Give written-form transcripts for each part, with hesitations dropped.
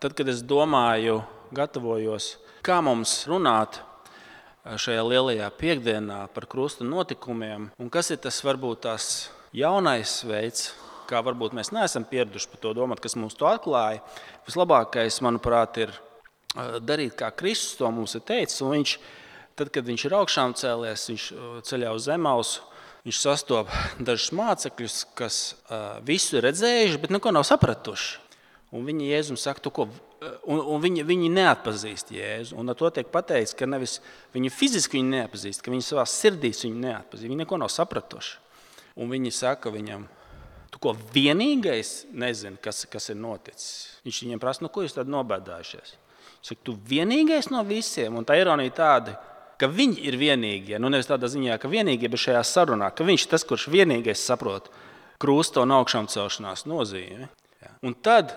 Tad, kad es domāju, gatavojos, kā mums runāt šajā lielajā piekdienā par krusta notikumiem, un kas ir tas varbūt tās jaunais veids, kā varbūt mēs neesam pieraduši par to domāt, kas mums to atklāja, vislabākais, manuprāt, ir darīt, kā Kristus to mums ir teicis. Un viņš, tad, kad viņš ir augšām cēlies, viņš ceļā uz Emausu, viņš sastopa dažus mācekļus, kas visu ir redzējuši, bet neko nav sapratuši. Un viņi Jēzum saka, un viņi neatpazīst Jēzu. Un ar to tiek pateikts, ka nevis viņi fiziski viņu neatpazīst, ka viņi savā sirdīs viņu neatpazīst. Viņi neko nav sapratuši. Un viņi saka viņam, tu ko vienīgais nezini, kas ir noticis. Viņš viņiem prasa, ko jūs tad nobēdājušies? Viņš saka, tu vienīgais no visiem. Un tā ironija tāda, ka viņi ir vienīgie. Nu nevis tādā ziņā, ka vienīgie, bet šajā sarunā, ka viņš tas, kurš vienīgais saprot krusta un augšām celšanās nozīmi. Un tad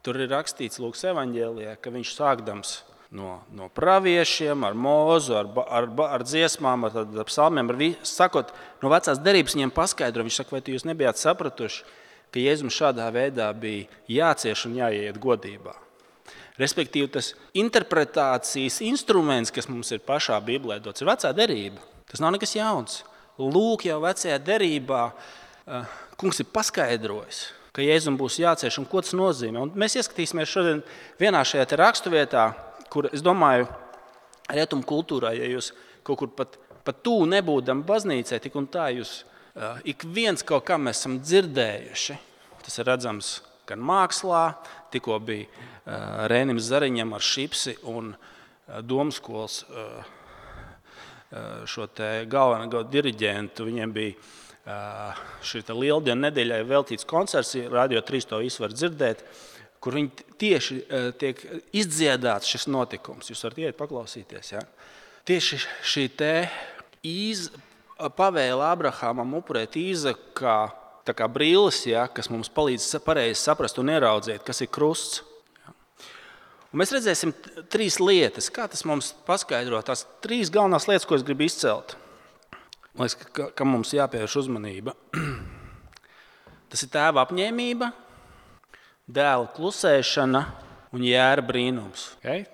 tur ir rakstīts Lūkas evaņģēlijā, ka viņš sākdams no praviešiem, ar Mūzu, ar dziesmām, ar psalmiem, sakot, no vecās derības viņiem paskaidro. Viņš saka, vai jūs nebijāt sapratuši, ka Jēzum šādā veidā bija jācieš un jāiet godībā. Respektīvi, tas interpretācijas instruments, kas mums ir pašā Bībelē dots, ir vecā derība. Tas nav nekas jauns. Lūk, jau vecajā derībā kungs ir paskaidrojis, ka Jēzum būs jācieš un ko tas nozīmē. Un mēs ieskatīsimies šodien vienā šajā raksturvietā, kur, es domāju, rietumu kultūrā, ja jūs kaut kur pat tū nebūdam baznīcai, tik un tā jūs ik viens kaut kā mēs esam dzirdējuši. Tas ir redzams gan mākslā, tikko bija Rēnim Zariņam ar Šipsi un Domskolas šo te galveno diriģentu. Viņiem bija šī lieldienu nedēļai veltīts koncerts, Radio 3 to visu var dzirdēt, kur viņi tieši tiek izdziedāts šis notikums. Jūs varat iet paklausīties. Ja? Tieši šī te pavēle Abrahamam upurēt Īzaku kā brilles, ja, kas mums palīdz pareizi saprast un ieraudzīt, kas ir krusts. Ja? Un mēs redzēsim 3 lietas, kā tas mums paskaidro. Tās 3 galvenās lietas, ko es gribu izcelt. Man liekas, ka mums jāpievērš uzmanība. Tas ir tēva apņēmība, dēla klusēšana un jēra brīnums. Okay?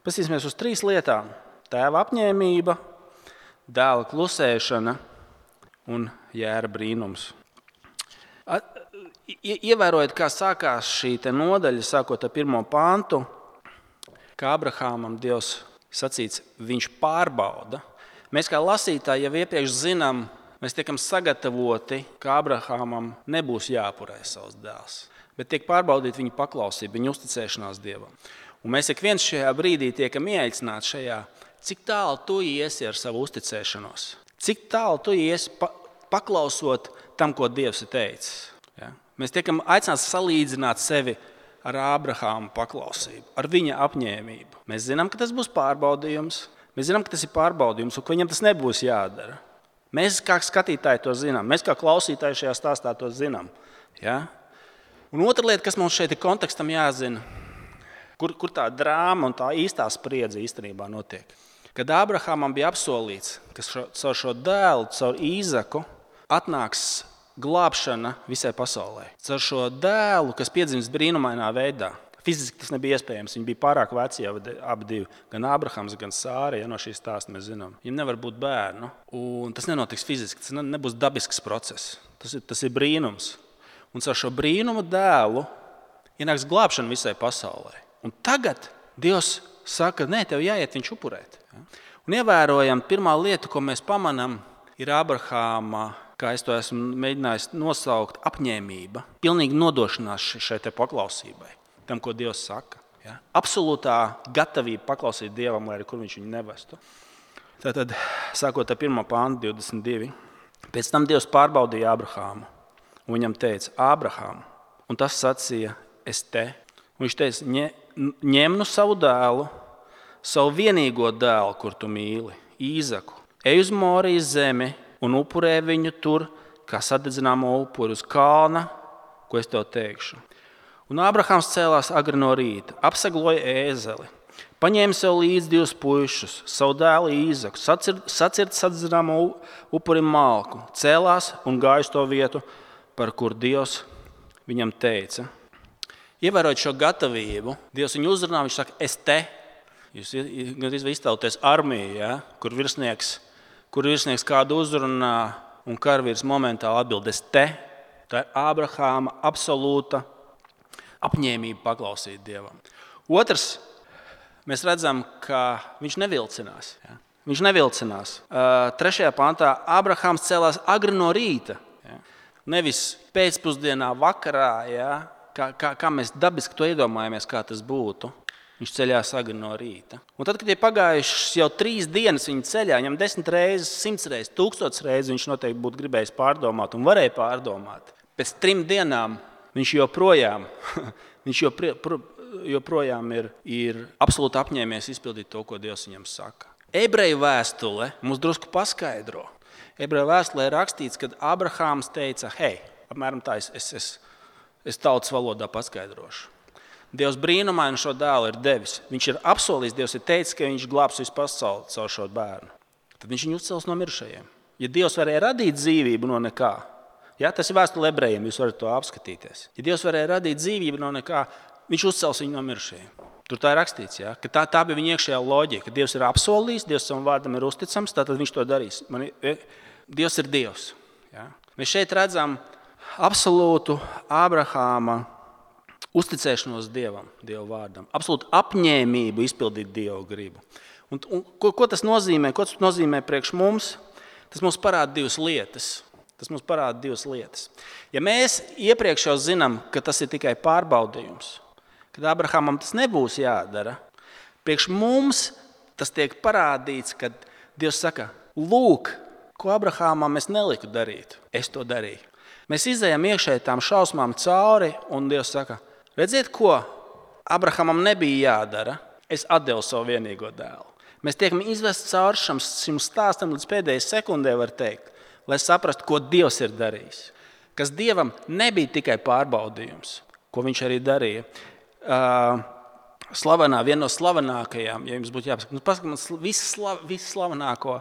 Paskatīsimies uz 3 lietām. Tēva apņēmība, dēla klusēšana un jēra brīnums. Ievērojot, kā sākās šī nodaļa, sākot ar 1. pantu, kā Abrahamam Dievs sacīts, viņš pārbauda. Mēs kā lasītāji jau iepriekš zinām, mēs tiekam sagatavoti, ka Abrahamam nebūs jāupurē savs dēls, bet tiek pārbaudīt viņa paklausība, viņa uzticēšanās Dievam. Un mēs ik viens šajā brīdī tiekam ieaicināti šajā, cik tālu tu iesi ar savu uzticēšanos, cik tālu tu iesi paklausot tam, ko Dievs ir teicis. Ja? Mēs tiekam aicināti salīdzināt sevi ar Ābrahāma paklausību, ar viņa apņēmību. Mēs zinām, ka tas būs pārbaudījums, mēs zinām, ka tas ir pārbaudījums un ka viņam tas nebūs jādara. Mēs kā skatītāji to zinām, mēs kā klausītāji šajā stāstā to zinām. Ja? Un otra lieta, kas mums šeit ir kontekstam jāzina, kur tā drāma un tā īstā spriedze īstenībā notiek. Kad Ābrahamam bija apsolīts, ka caur šo dēlu, caur Īzaku, atnāks glābšana visai pasaulē. Caur šo dēlu, kas piedzimst brīnumainā veidā. Fiziski tas nebija iespējams, viņi bija pārāk veci jau abi divi. Gan Ābrahams, gan Sāra, ja no šīs stāsta mēs zinām. Viņiem nevar būt bērnu, un tas nenotiks fiziski, tas nebūs dabisks process. Tas ir brīnums. Un caur šo brīnumu dēlu ienāks glābšana visai pasaulē. Un tagad Dievs saka, nē, tev jāiet viņš upurēt. Un ievērojam, pirmā lieta, ko mēs pamanām, ir Abrahāma, kā es to esmu mēģinājis nosaukt, apņēmība, pilnīgi nodošanās šai te paklausībai, tam, ko Dievs saka. Ja? Absolūtā gatavība paklausīt Dievam, lai arī kur viņš viņu nevestu. Tātad, sākot ar 1. pantu 22, pēc tam Dievs pārbaudīja Abrahāmu, un viņam teica, Ābrahām, un tas sacīja, es te. Un viņš teica, ņem nu savu dēlu, savu vienīgo dēlu, kur tu mīli, Īzaku, ej uz Morijas zemi un upurē viņu tur, kā sadedzināmo upuri uz kalna, ko es tev teikšu. Un Ābrahams cēlās agri no rīta, apsagloja ēzeli, paņēma sev līdzi 2 puišus, savu dēlu Īzaku, sacirta sadedzināmo upurim malku, cēlās un gāja uz to vietu, par kur Dievs viņam teica. Ievērojot šo gatavību, Dievs viņu uzrunā, viņš saka, es te. Jūs gandrīz iztēloties armiju, ja? kur virsnieks kādu uzrunā un karavīrs momentāli atbild, es te. Tā ir Ābrahāma absolūta apņēmība paklausīt Dievam. Otrs, mēs redzam, ka viņš nevilcinās. Ja? Viņš nevilcinās. 3. pantā Ābrahāms cēlās agri no rīta. Ja? Nevis pēcpusdienā, vakarā, ja? kā mēs dabiski to iedomājamies, kā tas būtu. Viņš ceļās agri no rīta. Un tad, kad ir pagājušas jau 3 dienas viņa ceļā, viņam 10 reizes, 100 reizes, 1000 reizes viņš noteikti būtu gribējis pārdomāt un varēja pārdomāt. Pēc 3 dienām viņš joprojām ir absolūti apņēmies izpildīt to, ko Dievs viņam saka. Ebreju vēstule mums drusku paskaidro. Ebreju vēstulē ir rakstīts, kad Ābrahāms teica, hei, apmēram tā es tautas valodā paskaidrošu. Dievs brīnumaini šo dēlu ir devis. Viņš ir apsolījis, Dievs ir teicis, ka viņš glābs visu pasauli caur šo bērnu. Tad viņš viņu uzcels no mirušajiem. Ja Dievs varēja radīt dzīvību no nekā, ja, tas ir vēstule ebrejiem, jūs varat to apskatīties. Ja Dievs varēja radīt dzīvību no nekā, viņš uzcels viņu no mirušajiem. Tur tā ir rakstīts, ja? Ka tā bija viņa iekšējā loģika. Ka Dievs ir apsolījis, Dievs savam vārdam ir uzticams, tātad viņš to darīs. Dievs ir Dievs. Ja? Mēs šeit redzam absolūtu Ābrahāma uzticēšanos Dievam, Dieva vārdam. Absolūtu apņēmību izpildīt Dieva gribu. Un ko tas nozīmē? Ko tas nozīmē priekš mums? Tas mums parāda 2 lietas. Ja mēs iepriekš jau zinām, ka tas ir tikai pārbaudījums, kad Ābrahamam tas nebūs jādara, priekš mums tas tiek parādīts, kad Dievs saka, lūk, ko Ābrahamam es neliku darīt, es to darīju. Mēs izejam iekšēji tām šausmām cauri, un Dievs saka, redziet, ko Ābrahamam nebija jādara, es atdevu savu vienīgo dēlu. Mēs tiekam izvest cauri šim stāstam līdz pēdējai sekundē, var teikt, lai saprastu, ko Dievs ir darījis. Kas Dievam nebija tikai pārbaudījums, ko viņš arī darīja. Viena no slavenākajām, ja jums būtu jāpasaka, paskatās visu slavenāko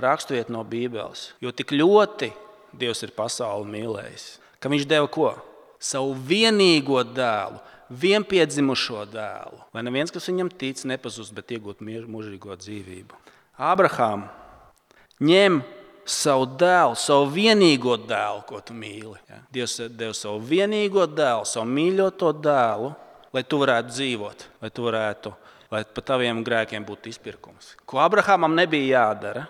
raksturvietu no Bībeles, jo tik ļoti Dievs ir pasauli mīlējis, ka viņš deva ko? Savu vienīgo dēlu, vienpiedzimušo dēlu, lai neviens, kas viņam tic, nepazust, bet iegūt mūžīgo dzīvību. Ābrahām ņem savu dēlu, savu vienīgo dēlu, ko tu mīli. Ja? Dievs deva savu vienīgo dēlu, savu mīļoto dēlu, lai tu varētu dzīvot, lai pa taviem grēkiem būtu izpirkums. Ko Ābrahamam nebija jādara,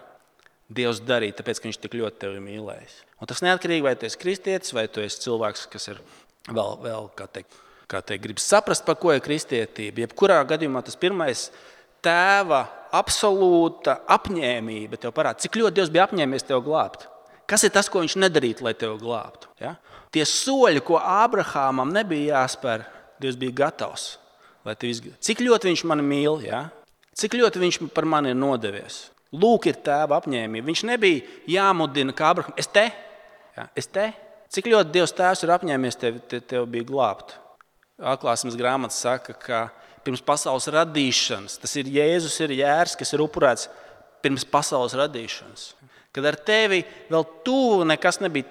Dievs darīja, tāpēc, ka viņš tik ļoti tevi mīlējis. Un tas neatkarīgi, vai tu esi kristietis, vai tu esi cilvēks, kas ir vēl kā teikt, grib saprast, par ko ir kristietība. Jebkurā gadījumā tas pirmais tēva absolūta apņēmība tev parāda, cik ļoti Dievs bija apņēmies tev glābt. Kas ir tas, ko viņš nedarītu, lai tevi glābtu? Ja? Tie soļi, ko Ābrahamam nebija jāspēr, Dievs bija gatavs. Cik ļoti viņš mani mīl, ja? Cik ļoti viņš par mani ir nodevies. Lūk, ir tēva apņēmība. Viņš nebija jāmudina, kā Ābraham, es te. Cik ļoti Dievs tēvs ir apņēmies tev bija glābt. Atklāsmes grāmata saka, ka pirms pasaules radīšanas, tas ir Jēzus ir jērs, kas ir upurēts pirms pasaules radīšanas. Kad ar tevi vēl tuvu nekas nebija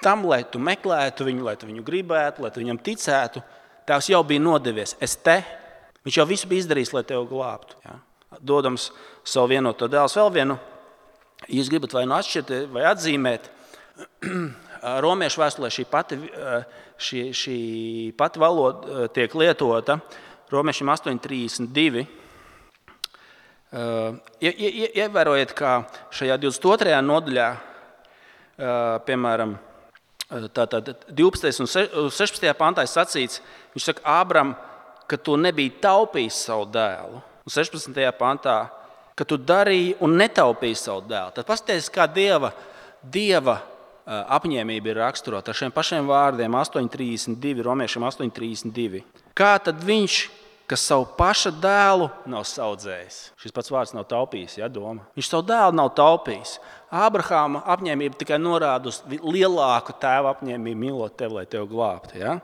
tam, lai tu meklētu viņu, lai tu viņu gribētu, lai tu viņam ticētu, tēvs jau bija nodevies. Es te. Viņš jau visu bija izdarījis, lai tevi glābtu. Ja? Dodams savu vienoto dēlu. Vēl vienu, ja jūs gribat vai nu atšķirt, vai atzīmēt, romiešu vēstulē šī pati valoda tiek lietota, romiešiem 8.32. Ievērojiet, kā šajā 22. nodaļā, piemēram, 12. un 16. pantā sacīts, viņš saka, Ābram, ka tu nebija taupījis savu dēlu. Un 16. pantā, ka tu darīji un netaupīji savu dēlu. Tad paskaties, kā Dieva apņēmība ir raksturota ar šiem pašiem vārdiem 8.32, romiešiem 8.32. Kā tad viņš, kas savu paša dēlu nav saudzējis? Šis pats vārds nav taupījis, ja, doma. Viņš savu dēlu nav taupījis. Ābrahāma apņēmība tikai norāda uz lielāku tēva apņēmību mīlot tevi, lai tevi glābtu. Ja?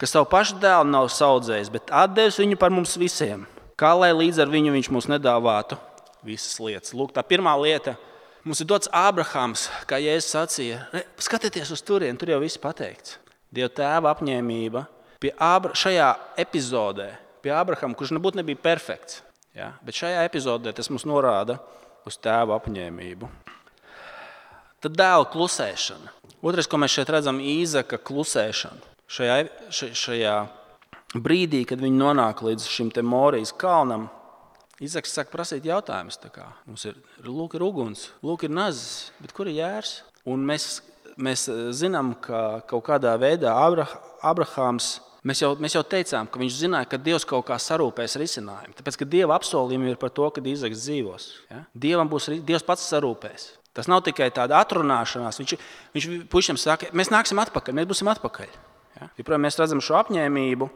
Kas savu pašu dēlu nav saudzējis, bet atdevis viņu par mums visiem. Kā lai līdz ar viņu viņš mums nedāvātu visas lietas. Lūk, tā pirmā lieta. Mums ir dots Ābrahāms, kā Jēzus sacīja. Skatieties uz turieni, tur jau viss pateikts. Dieva tēva apņēmība šajā epizodē, pie Ābrahama, kurš nebija perfekts, ja? Bet šajā epizodē tas mums norāda uz tēva apņēmību. Tad dēla klusēšana. Otrais, ko mēs šeit redzam, Īzaka klusēšana. Šajā brīdī, kad viņi nonāk līdz šim te Morijas kalnam, Īzaks sāk prasīt jautājumus. Mums ir uguns, ir nazis, bet kur ir jērs? Un mēs zinām, ka kaut kādā veidā Abrahāms, mēs jau teicām, ka viņš zināja, ka Dievs kaut kā sarūpēs risinājumu. Tāpēc, ka Dieva apsolījumi ir par to, ka Īzaks dzīvos. Ja? Dievs pats sarūpēs. Tas nav tikai tāda atrunāšanās. Viņš puišiem saka, mēs nāksim atpakaļ, mēs būsim atpakaļ. Ja? Joprojām mēs redzam šo apņēmību.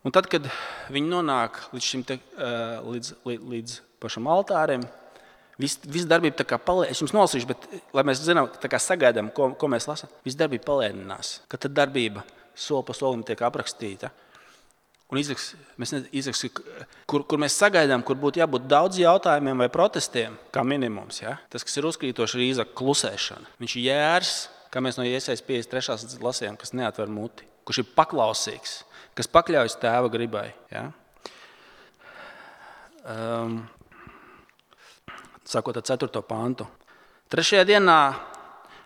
Un tad, kad viņi nonāk līdz pašam altārim, viss darbība tā kā palēninās. Es jums nolasīšu, bet lai mēs zinām, sagaidām, ko mēs lasām, viss darbība palēninās. Kad tad darbība soli pa solim tiek aprakstīta. Un Īzaks, kur mēs sagaidām, kur būtu jābūt daudz jautājumiem vai protestiem, kā minimums. Ja? Tas, kas ir uzkrītoši, ir Īzaka klusēšana. Viņš ir jērs, kā mēs no Iesaijas 53. lasījām, kas neatver muti, kurš ir paklausīgs, kas pakļaujas tēva gribai. Ja? Sākot ar 4. pantu. 3. dienā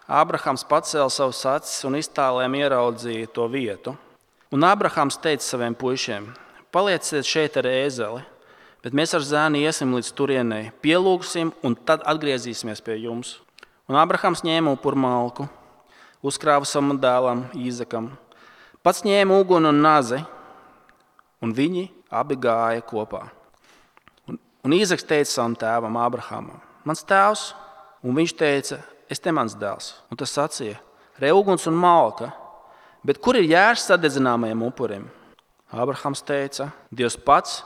Ābrahams pacēla savus acis un iztālēm ieraudzīja to vietu. Un Ābrahams teica saviem puišiem, palieciet šeit ar ēzeli, bet mēs ar zēnu iesim līdz turienei, pielūgsim un tad atgriezīsimies pie jums. Un Ābrahams ņēma upurmalku, uzkrāva savam dēlam Īzakam, pats ņēma uguni un nazi, un viņi abi gāja kopā. Un Īzaks teica savam tēvam Ābrahamam, mans tēvs, un viņš teica, es te mans dēls. Un tas sacīja, re uguns un malka, bet kur ir jērs sadedzināmajam upurim? Ābrahams teica, Dievs pats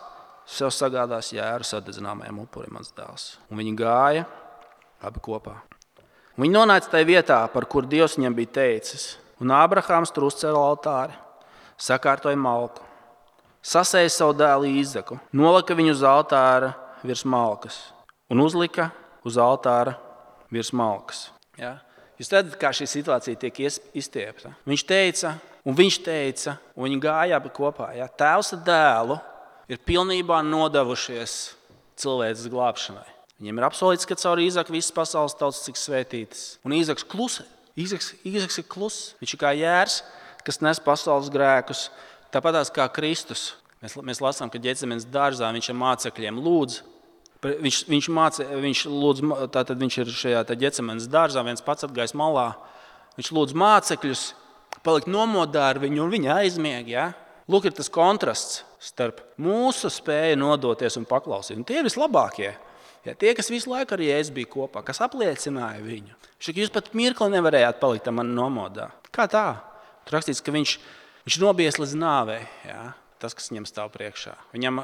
sev sagādās jēru sadedzināmajam upurim, mans dēls. Un viņi gāja abi kopā. Un viņi nonāca tajā vietā, par kur Dievs viņam bija teicis. Un Ābrahams tur uzcēla altāri, sakārtoja malku, sasēja savu dēlu Īzaku, nolika viņu uz altāra virs malkas un uzlika uz altāra virs malkas. Ja? Jūs redzat, kā šī situācija tiek izstiepta. Viņš teica, un viņi gāja abi kopā. Ja? Tēvs ar dēlu ir pilnībā nodevušies cilvēces glābšanai. Viņiem ir apsolīts, ka caur Īzaku visas pasaules tautas tiks svētītas. Un Īzaks klusē. Īzaks ir kluss. Viņš ir kā jērs, kas nes pasaules grēkus. Tāpatās kā Kristus. Mēs lasām, ka Ģecemenes dārzā viņš ar mācekļiem lūdz. Viņš ir šajā Ģecemenes dārzā, viens pats atgājis malā. Viņš lūdz mācekļus palikt nomodā ar viņu, un viņi aizmieg. Ja? Lūk, ir tas kontrasts starp mūsu spēju nodoties un paklausīt. Un tie ir vislabākie. Ja? Tie, kas visu laiku ar Jēzu bija kopā, kas apliecināja viņu. Jūs pat mirkli nevarējāt palikt man nomodā. Kā tā? Tur rakstīts, ka viņš nobijies līdz nāvei. Ja? Tas, kas viņam stāv priekšā. Viņam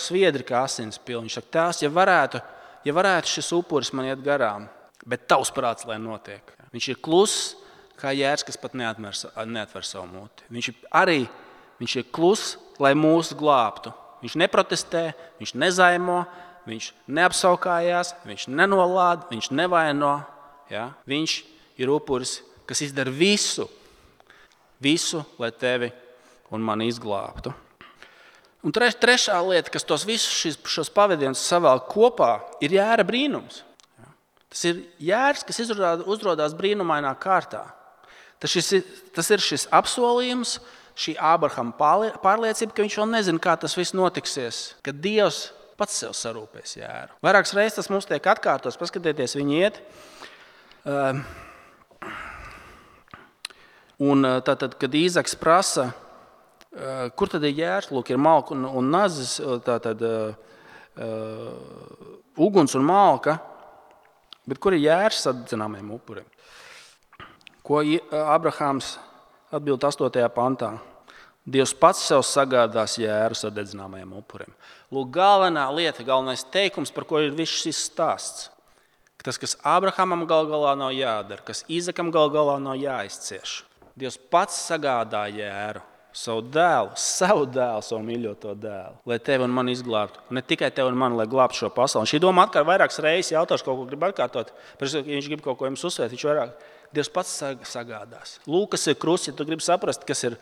sviedri kā asins pilni. Viņš saka, tēvs, ja varētu šis upuris man iet garām, bet tavs prāts, lai notiek. Viņš ir kluss, kā jērs, kas pat neatver savu muti. Viņš ir kluss, lai mūs glābtu. Viņš neprotestē, viņš nezaimo, viņš neapsaukājās, viņš nenolāda, viņš nevaino. Ja? Viņš ir upuris, kas izdara visu, lai tevi un mani izglābtu. Un trešā lieta, kas tos visus šos pavadienus savēl kopā, ir jēra brīnums. Tas ir jērs, kas uzrodās brīnumainā kārtā. Tas ir šis apsolījums, šī Ābrahama pārliecība, ka viņš vēl nezina, kā tas viss notiksies, ka Dievs pats sev sarūpēs jēru. Vairākas reizes tas mums tiek atkārtots, paskatieties, viņi iet. Un tātad, kad Īzaks prasa, kur tad ir jērs? Lūk, ir malka un nazis, tātad uguns un malka, bet kur ir jērs sadedzināmajam upurim? Ko Ābrahams atbild 8. pantā? Dievs pats sev sagādās jēru sadedzināmajam upurim. Lūk, galvenā lieta, galvenais teikums, par ko ir viss šis stāsts. Tas, kas Ābrahamam gal galā nav jādara, kas Īzakam gal galā nav jāizcieš. Dievs pats sagādā jēru. Savu dēlu, savu mīļoto dēlu, lai tevi un mani izglābtu. Un ne tikai tevi un mani, lai glābtu šo pasauli. Un šī doma atkal vairākas reizes jautāšu, kaut ko grib atkārtot. Ja viņš grib kaut ko jums uzsvērt, viņš vairāk Dievs pats sagādās. Lūk, kas ir krusts, ja tu gribi saprast, kas ir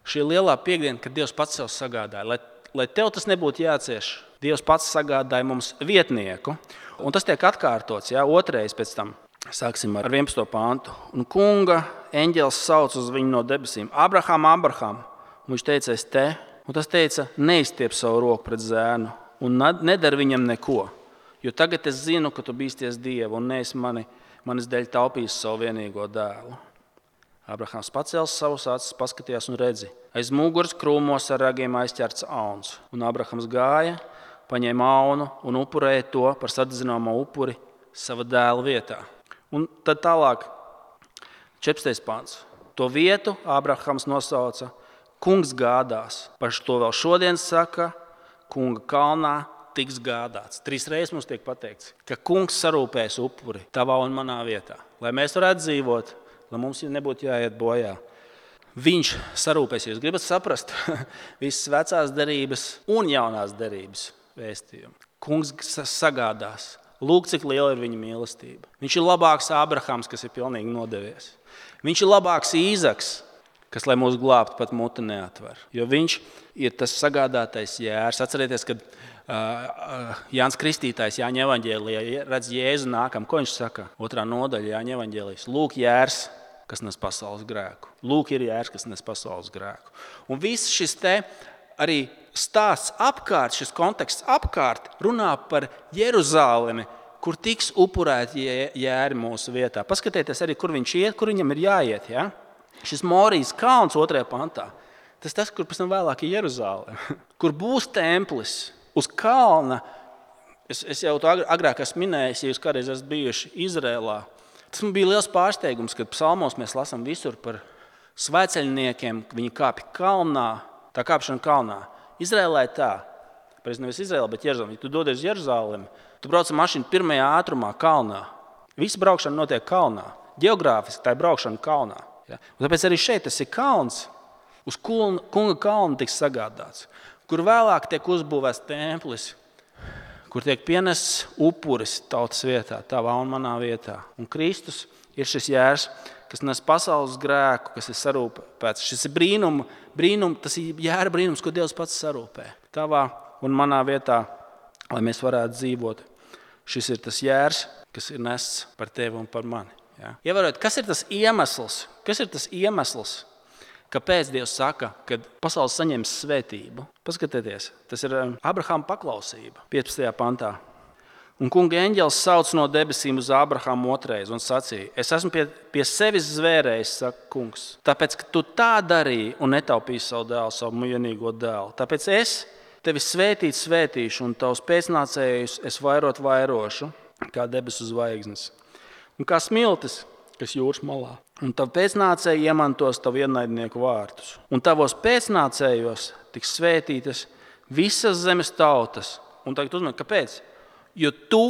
šī lielā piekdiena, kad Dievs pats sev sagādāja. Lai tev tas nebūtu jācieš, Dievs pats sagādāja mums vietnieku. Un tas tiek atkārtots, otrais pēc tam. Sāksim ar 11. pāntu. Un kunga eņģelis sauc uz viņu no debesīm. Abraham, Abraham. Un viņš teica, es te. Un tas teica, neizstiep savu roku pret zēnu un nedari viņam neko. Jo tagad es zinu, ka tu bīsties Dievu un neesi manis dēļ taupījis savu vienīgo dēlu. Abrahams pacēlis savus acis, paskatījās un redzi. Aiz muguras krūmos ar ragiem aizķerts auns. Un Abrahams gāja, paņēma aunu un upurēja to par sadedzināmo upuri sava dēla vietā. Un tad tālāk, 14. pāns. To vietu Abrahams nosauca Kungs gādās. Par to vēl šodien saka, Kunga kalnā tiks gādāts. 3 reizes mums tiek pateikts, ka Kungs sarūpēs upuri tavā un manā vietā. Lai mēs varētu dzīvot, lai mums nebūtu jāiet bojā. Viņš sarūpēs, jūs gribat saprast visas vecās derības un jaunās derības vēstījumu. Kungs sagādās. Lūk, cik liela ir viņa mīlestība. Viņš ir labāks Abrahams, kas ir pilnīgi nodevies. Viņš ir labāks Īzaks, kas, lai mūs glābtu, pat muti neatver. Jo viņš ir tas sagādātais jērs. Atcerieties, kad Jānis Kristītājs Jāņa evaņģēlijā redz Jēzu nākam. Ko viņš saka? 2. nodaļa Jāņa evaņģēlijas. Lūk, jērs, kas nes pasaules grēku. Lūk, ir jērs, kas nes pasaules grēku. Un viss šis te arī stāsts apkārt, šis konteksts apkārt runā par Jeruzālemi, kur tiks upurēti jēri mūsu vietā. Paskatieties arī, kur viņš iet, kur viņam ir jāiet. Ja? Šis Morijas kalns 2. pantā. Tas, kur pēc tam vēlāk ir Jeruzāleme, kur būs templis uz kalna. Es jau to agrāk esmu minējis, ja jūs kādreiz esat bijuši Izrēlā. Tas man bija liels pārsteigums, kad psalmos mēs lasām visur par svēceļniekiem, viņi kāpj kalnā, tā kāpšana kalnā. Izrēlē tā, nevis Izrēlē, bet Jeruzālē. Ja tu dodies uz Jeruzālemi, tu brauc ar mašīnu 1. ātrumā kalnā. Visa braukšana notiek kalnā. Geogrāfiski tā ir braukšana kalnā. Ja? Un tāpēc arī šeit tas ir kalns. Uz Kunga kalna tiks sagādāts, kur vēlāk tiek uzbūvēts templis, kur tiek pienests upuris tautas vietā, tavā un manā vietā. Un Kristus ir šis jērs, kas nes pasaules grēku, kas ir sarūpēts. Šis ir tas ir jēra brīnums, ko Dievs pats sarūpē. Tavā un manā vietā, lai mēs varētu dzīvot. Šis ir tas jērs, kas ir nests par tevi un par mani. Ja? Ievērot, kas ir tas iemesls? Kāpēc Dievs saka, ka pasaule saņems svētību? Paskatieties, tas ir Abrahama paklausība 15. pantā. Un kunga eņģelis sauc no debesīm uz Abrahamu otrais un sacīja, es esmu pie sevis zvērējis, saka kungs, tāpēc, ka tu tā darīji un netaupīji savu dēlu, savu vienīgo dēlu. Tāpēc es tevi svētīšu un tavus pēcnācējus es vairošu, kā debesu zvaigznes. Un kā smiltis, kas jūras malā. Un tavu pēcnācēji iemantos tavu ienaidnieku vārtus. Un tavos pēcnācējos tiks svētītas visas zemes tautas. Un tagad uzmanīgi, kāpēc? Jo tu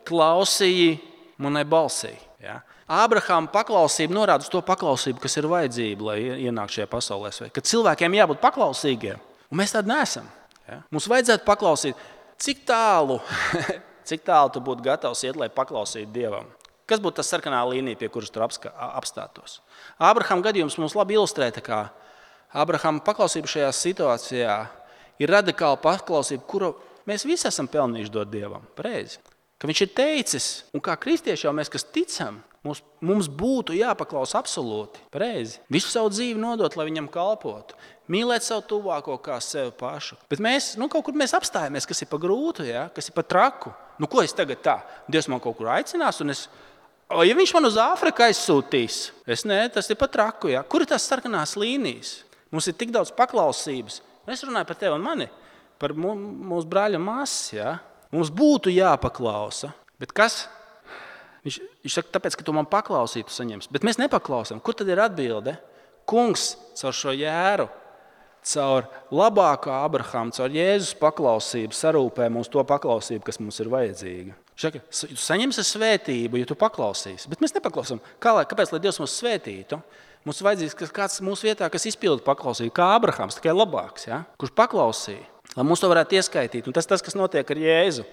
klausīji manai balsī. Ja? Ābrahama paklausība norāda uz to paklausību, kas ir vajadzība, lai ienāktu šajā pasaulē. Kad cilvēkiem jābūt paklausīgiem, un mēs tādi neesam. Ja? Mums vajadzētu paklausīt, cik tālu tu būtu gatavs iet, lai paklausītu Dievam. Kas būtu tas sarkanā līnija, pie kuras tur apstātos? Ābrahama gadījums mums labi ilustrē, kā Ābrahama paklausība šajā situācijā ir radikāla paklausība, kuru mēs visi esam pelnījuši dot Dievam. Pareizi. Ka viņš ir teicis, un kā kristieši jau mēs, kas ticam, mums būtu jāpaklausa absolūti. Pareizi. Visu savu dzīvi nodot, lai viņam kalpotu. Mīlēt savu tuvāko kā sevi pašu. Bet mēs, kaut kur mēs apstājamies, kas ir pa grūtu, ja? Kas ir pa traku. Ko es tagad tā? Dievs man kaut kur aicinās, un ja viņš man uz Āfriku aizsūtīs, tas ir pa traku. Ja? Kur ir tās sarkanās līnijas? Mums ir tik daudz paklausības. Es runāju par tevi un mani, par mūsu brāļa māsas. Ja? Mums būtu jāpaklausa. Bet kas? Viņš saka, tāpēc, ka tu man paklausītu, saņems. Bet mēs nepaklausām. Kur tad ir atbilde? Kungs caur šo jēru, caur labāko Abrahamu, caur Jēzus paklausību sarūpē mums to paklausību, kas mums ir vajadzīga. Viņš saka, tu saņemsi svētību, ja tu paklausīsi. Bet mēs nepaklausām. Kāpēc, lai Dievs mūs svētītu? Mums ir vajadzīgs kāds mūsu vietā, kas izpilda paklausību, kā Abrahams, tikai labāks, ja? Kurš paklausīja. Lai mums to varētu ieskaitīt. Un tas, kas notiek ar Jēzu.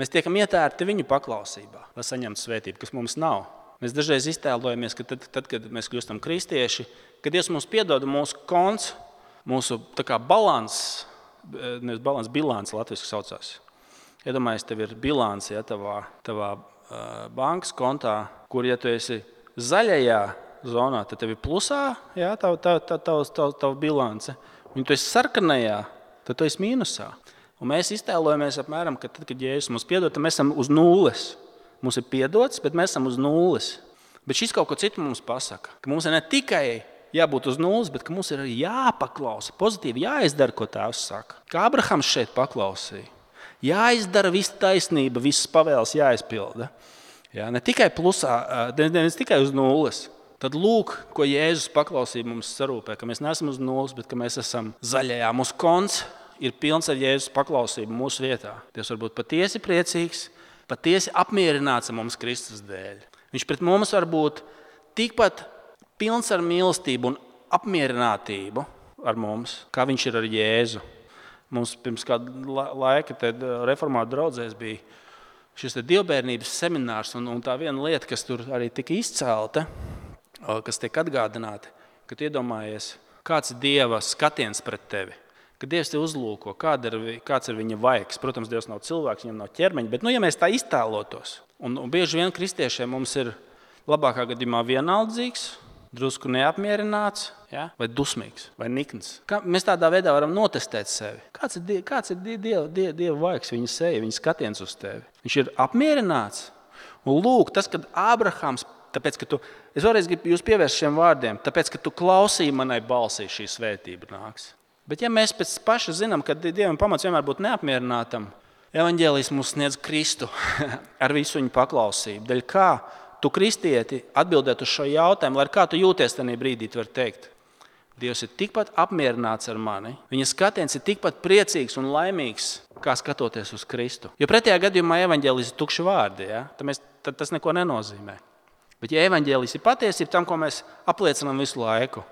Mēs tiekam ietērti viņu paklausībā, lai saņemtu svētību, kas mums nav. Mēs dažreiz iztēlojamies, ka tad, kad mēs kļūstam kristieši, kad Dievs mums piedod mūsu konts, mūsu balans, nevis balans, bilants latviski saucās. Iedomājies, tev ir bilants, ja, tavā bankas kontā, kur, ja tu esi zaļajā zonā, tad tev ir plusā, ja, tava bilance. Un tu esi sarkanajā, tad tu esi mīnusā. Un mēs iztēlojamies apmēram, ka tad, kad Jēzus mums piedod, tad mēs esam uz nulles. Mums ir piedots, bet mēs esam uz nulles. Bet šis kaut ko citu mums pasaka, ka mums ir ne tikai jābūt uz nulles, bet ka mums ir arī jāpaklausa, pozitīvi jāizdara, ko Tēvs saka. Kā Abrahams šeit paklausīja. Jāizdara visa taisnība, visas pavēles jāizpilda. Ja, ne tikai plusā, ne tikai uz nulles. Tad lūk, ko Jēzus paklausīja mums sarūpē, ka mēs neesam uz nulles, bet ka mēs esam zaļajā. Mūsu konts ir pilns ar Jēzus paklausību mūsu vietā. Dievs var būt patiesi priecīgs, patiesi apmierināts ar mums Kristus dēļ. Viņš pret mums var būt tikpat pilns ar mīlestību un apmierinātību ar mums, kā viņš ir ar Jēzu. Mums pirms kāda laika reformātu draudzēs bija šis dievbērnības seminārs, un tā viena lieta, kas tur arī tika izcelta, kas tiek atgādināta, ka tu iedomājies, kāds ir Dieva skatiens pret tevi. Kad Dievs te uzlūko, kāds ir viņa vaigs. Protams, Dievs nav cilvēks, viņam nav ķermeņa, bet ja mēs tā iztēlotos, un bieži vien kristiešiem mums ir labākā gadījumā vienaldzīgs, drusku neapmierināts, ja? Vai dusmīgs, vai nikns. Mēs tādā veidā varam notestēt sevi. Kāds ir Dieva vaigs, viņa seja, viņa skatiens uz tevi? Viņš ir apmierināts. Un lūk, tas, kad Ābrahams, tāpēc, ka es vēlreiz gribu jūs pievērst šiem vārdiem, tāpēc, ka tu klausīji manai balsī, šī svētība nāks. Bet ja mēs pēc paša zinām, ka Dievam pamats vienmēr būt neapmierinātam, evaņģēlijs mums sniedz Kristu ar visu viņu paklausību. Daļ kā tu, kristieti, atbildēt uz šo jautājumu, lai kā tu jūties tajā brīdī, tu vari teikt, Dievs ir tikpat apmierināts ar mani, viņa skatiens ir tikpat priecīgs un laimīgs, kā skatoties uz Kristu. Jo pretējā gadījumā evaņģēlijs ir tukši vārdi, ja? Tad tas neko nenozīmē. Bet ja evaņģēlijs ir patiesība tam, ko mēs apliecinām visu laiku,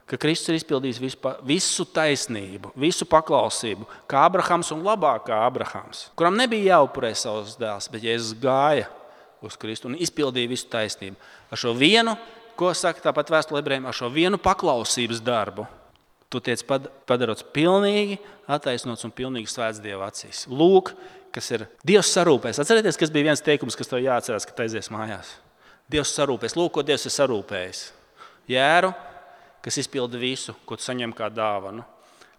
ka Kristus ir izpildījis visu taisnību, visu paklausību, kā Abrahams un labāk kā Abrahams, kuram nebija jāupurē savus dēls, bet Jēzus gāja uz Kristu un izpildīja visu taisnību. Ar šo vienu, ko saka tāpat vēstule ebrejiem, ar šo vienu paklausības darbu, tu tiec padarots pilnīgi attaisnots un pilnīgi svēts Dieva acīs. Lūk, kas ir Dievs sarūpēs. Atcerieties, kas bija viens teikums, kas tev jāatcerās, kad aizies mājās. Dievs sarūpēs. Lūk, ko Dievs ir sarūpējis. Jēru, kas izpilda visu, ko tu saņem kā dāvanu.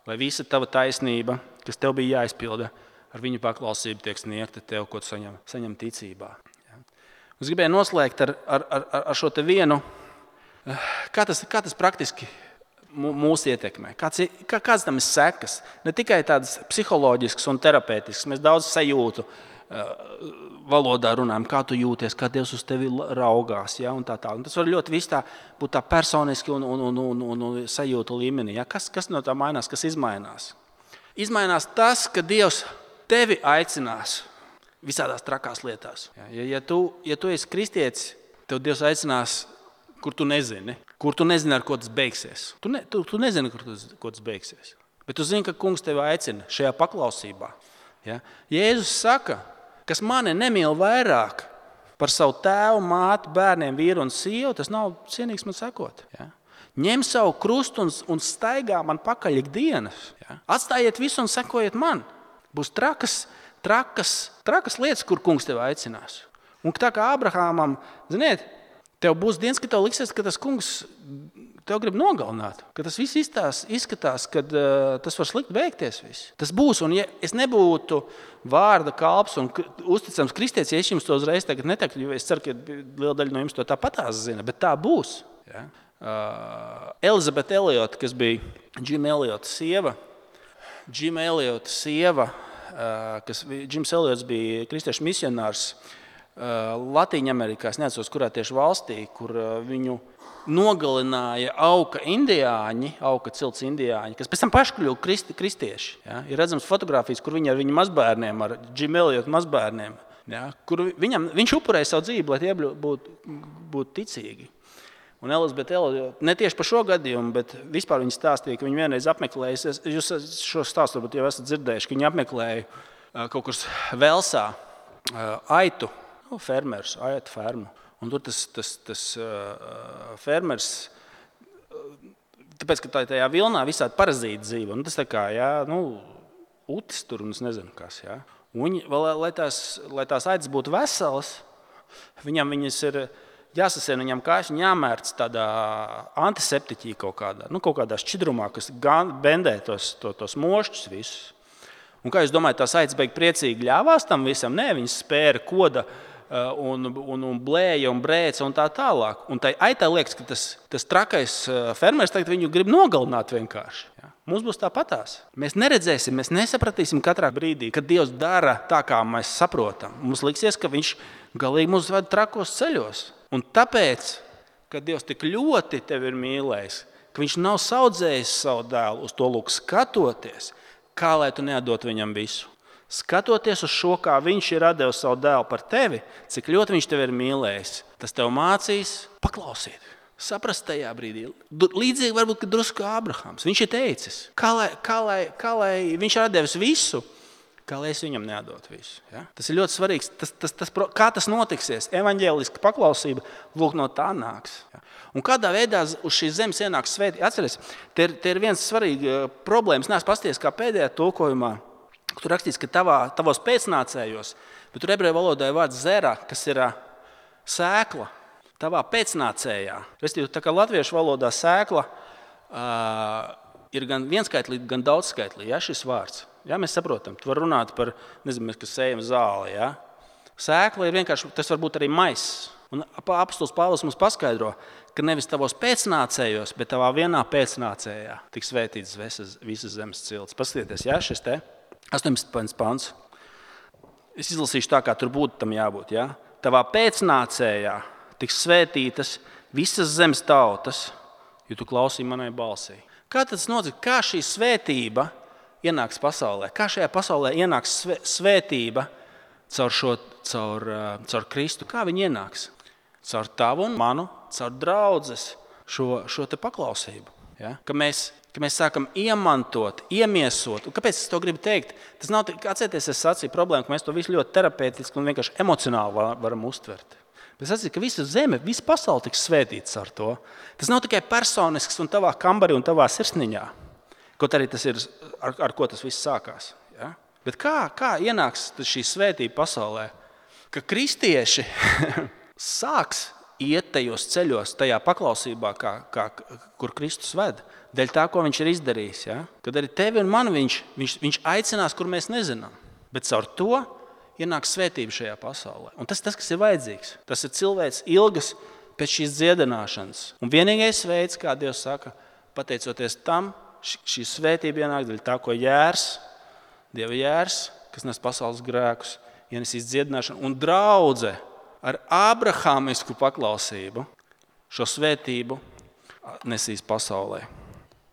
Lai visa tava taisnība, kas tev bija jāizpilda, ar viņu paklausību tiek sniegta tev, ko tu saņem ticībā. Es gribēju noslēgt ar šo te vienu, kā tas praktiski mūs ietekmē. Kāds tam ir sekas? Ne tikai tādas psiholoģiskas un terapeitiskas. Mēs daudz sajūtu valodā runājam, kā tu jūties, kā Dievs uz tevi raugās. Ja, un tā. Un tas var ļoti viss tā būt tā personiski un sajūtu līmenī. Ja. Kas no tā mainās, kas izmainās? Izmainās tas, ka Dievs tevi aicinās visādās trakās lietās. Ja tu esi kristietis, tev Dievs aicinās, kur tu nezini, ar ko tas beigsies. Tu nezini, ko tas beigsies. Bet tu zini, ka Kungs tevi aicina šajā paklausībā. Ja? Jēzus saka, kas mani nemīl vairāk par savu tēvu, māti, bērniem, vīru un sievu, tas nav cienīgs man sekot. Ja? Ņem savu krustu un staigā man pakaļ ikdienas. Ja? Atstājiet visu un sekojiet man. Būs trakas lietas, kur Kungs tevi aicinās. Un tā kā Abrahamam, ziniet, tev būs dienas, ka tev liksies, ka tas Kungs tev grib nogalināt. Ka tas viss izskatās, ka tas var slikti beigties. Viss. Tas būs, un ja es nebūtu vārda kalps un uzticams kristietis, ja es jums to uzreiz tagad neteiktu, jo es ceru, ka liela daļa no jums to tāpatās zina, bet tā būs. Ja? Elizabete Eliota, kas bija Džima Eliota sieva, Džims Eliots bija kristiešu misionārs Latīņamerikā, es neatceros, kurā tieši valstī, kur viņu nogalināja auka cilts indiāņi, kas pēc tam paši kļuva kristieši. Ja? Ir redzams fotogrāfijas, kur viņi ar viņu mazbērniem, ar Džim Eliotu mazbērniem, ja? Kur viņš upurēja savu dzīvi, lai tie būtu ticīgi. Un Elizabete Eliota, ne tieši par šo gadījumu, bet vispār viņa stāstīja, ka viņa vienreiz apmeklēja, jūs šo stāstu varbūt jau esat dzirdējuši, ka viņa apmeklēja kaut kur Velsā aitu fermu. Un tur tas fermers, tāpēc, ka tajā vilnā visādi parazīti dzīvo. Tas tā kā, utis tur un es nezinu kas. Jā. Un, lai tās aitas būtu veselas, viņas ir jāsasien, viņam kājas jāmērc tādā antiseptiķī kaut kādā šķidrumā, kas bendē tos mošķus visus. Un kā jūs domājat, tās aitas beig priecīgi ļāvās tam visam? Nē, viņas spēra koda un blēja un brēca un tā tālāk. Un tai aitai liekas, ka tas trakais fermers tagad viņu grib nogalināt vienkārši. Ja? Mums būs tāpatās. Mēs neredzēsim, mēs nesapratīsim katrā brīdī, kad Dievs dara tā, kā mēs saprotam. Mums liksies, ka viņš galīgi mūs ved trakos ceļos. Un tāpēc, ka Dievs tik ļoti tevi ir mīlējis, ka viņš nav saudzējis savu dēlu uz to lūk skatoties, kā lai tu neatdot viņam visu. Skatoties uz šo, kā viņš ir devis savu dēlu par tevi, cik ļoti viņš tevi ir mīlējis, tas tev mācīs paklausīt, saprast tajā brīdī. Līdzīgi varbūt, ka drusku Ābrahams. Viņš ir teicis, kā lai viņš ir devis visu, kā lai es viņam neatdotu visu. Ja? Tas ir ļoti svarīgs. Kā tas notiksies? Evaņģēliska paklausība lūk no tā nāks. Ja? Un kādā veidā uz šīs zemes ienāks svētība? Atceries, te ir viens svarīgs problēmas. Nē, es pasties, kā pēdējā tulkojumā. Tur rakstīts, ka tavos pēcnācējos, bet tur ebreju valodā ir vārds zera, kas ir sēkla. Tavā pēcnācējā. Restīvi, tā kā latviešu valodā sēkla ir gan vienskaitlīga, gan daudzskaitlīga. Ja, šis vārds. Ja, mēs saprotam, tu vari runāt par, nezinu, kas sējam zāli. Ja. Sēkla ir vienkārši, tas var būt arī maiss. Un apostols Pāvils mums paskaidro, ka nevis tavos pēcnācējos, bet tavā vienā pēcnācējā tiks svētīts visas zemes cilts. Paskatieties, ja, šis te. 18. pants. Es izlasīšu tā, kā tur būtu tam jābūt. Ja? Tavā pēcnācējā tiks svētītas visas zemes tautas, jo tu klausīji manai balsī. Kā tas notiek? Kā šī svētība ienāks pasaulē? Kā šajā pasaulē ienāks svētība caur Kristu? Kā viņa ienāks? Caur tavu un manu, caur draudzes šo te paklausību. Ja? Ka mēs sākam iemantot, iemiesot. Un kāpēc es to gribu teikt? Tas nav, atcerieties, es sacīju problēmu, ka mēs to visu ļoti terapeitiski un vienkārši emocionāli varam uztvert. Bet es sacīju, ka visa zeme, visa pasaule tiks svētīts ar to. Tas nav tikai personisks un tavā kambarī un tavā sirsniņā. Kaut arī tas ir, ar ko tas viss sākās. Ja? Bet kā ienāks šī svētība pasaulē? Ka kristieši sāks iet tajos ceļos, tajā paklausībā, kur Kristus ved. Dēļ tā, ko viņš ir izdarījis. Ja? Kad arī tevi un mani viņš aicinās, kur mēs nezinām. Bet caur to ienāk svētība šajā pasaulē. Un tas, kas ir vajadzīgs. Tas ir cilvēks ilgas pēc šīs dziedināšanas. Un vienīgais veids, kā Dievs saka, pateicoties tam, šī svētība ienāk dēļ tā, ko Dieva jērs, kas nes pasaules grēkus, ienesīs dziedināšanu. Un draudze ar abrahāmisku paklausību šo svētību nesīs pasaulē.